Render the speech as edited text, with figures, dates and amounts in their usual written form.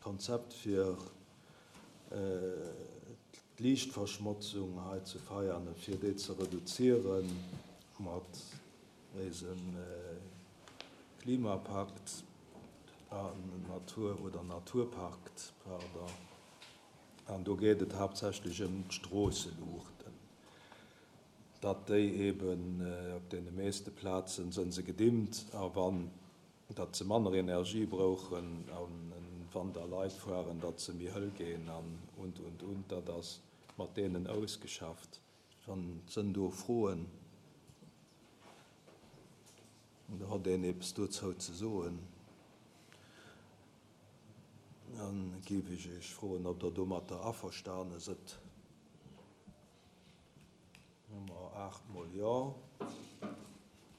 Konzept fir d'Liichtverschmotzung hei zu Veianen, fir déi ze reduziere mat eisem Klimapakt an Natur oder Naturpakt, pardon. An do geet et haaptsächlech ëm d'Stroosseluuchten, datt déi eeben op deene meeschte Plazen sënn se gedimmt a wann datt se manner Energie brouchen a wann da Leit fueren, datt se méi hëll ginn an und, und, und. Dat ass mat deenen ausgeschafft. Wann sënn do Froen oder hott een eppes dozou ze soen, da géif ech Iech froen, ob Der domatter averstane sëtt. Hu mer aachtmol Jo.